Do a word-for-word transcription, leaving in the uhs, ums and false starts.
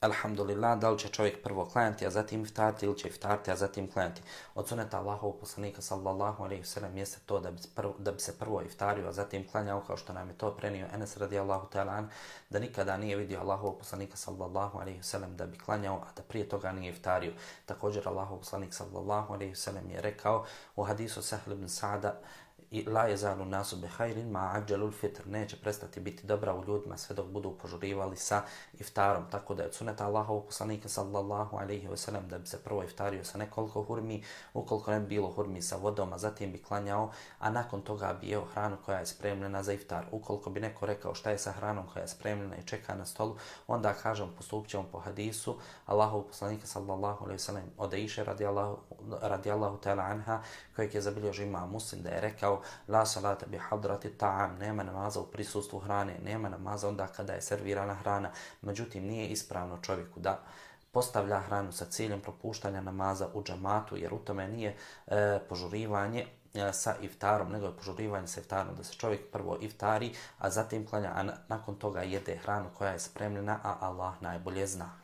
Alhamdulillah, da li će čovjek prvo klanjati, a zatim iftariti, ili će iftariti, a zatim klanjati. Od suneta Allahovog poslanika sallallahu alejhi ve sellem jeste to da bi, prvo, da bi se prvo iftario, a zatim klanjao, kao što nam je to prenio Enes radijallahu ta'ala an, da nikada nije vidio Allahovog poslanika sallallahu alejhi ve sellem da bi klanjao, a da prije toga nije iftario. Također Allahov poslanik sallallahu alejhi ve sellem je rekao u hadisu Sahl ibn Sa'da: i la jezalu nasu behajrin ma ađelul fitr, neće prestati biti dobra u ljudima sve dok budu požurivali sa iftarom. Tako da je od suneta Allahovog poslanika sallallahu alejhi ve sellem da bi se prvo iftario sa nekoliko hurmi, ukoliko ne bi bilo hurmi sa vodom, a zatim bi klanjao, a nakon toga bi jeo hranu koja je spremljena za iftar. Ukoliko bi neko rekao šta je sa hranom koja je spremljena i čeka na stolu, onda kažem postupit ćemo po hadisu Allahovog poslanika sallallahu alejhi ve sellem od Aishe radijallahu, radijallahu ta'ala anha, kojeg je zabilježio imam Muslim, da je rekao: la salata bi hadrati ta'am, nema namaza u prisustvu hrane, nema namaza onda kada je servirana hrana. Međutim, nije ispravno čovjeku da postavlja hranu sa ciljem propuštanja namaza u džamatu, jer u tome nije e, požurivanje e, sa iftarom, nego je požurivanje sa iftarom, da se čovjek prvo iftari, a zatim klanja, a nakon toga jede hranu koja je spremljena, a Allah najbolje zna.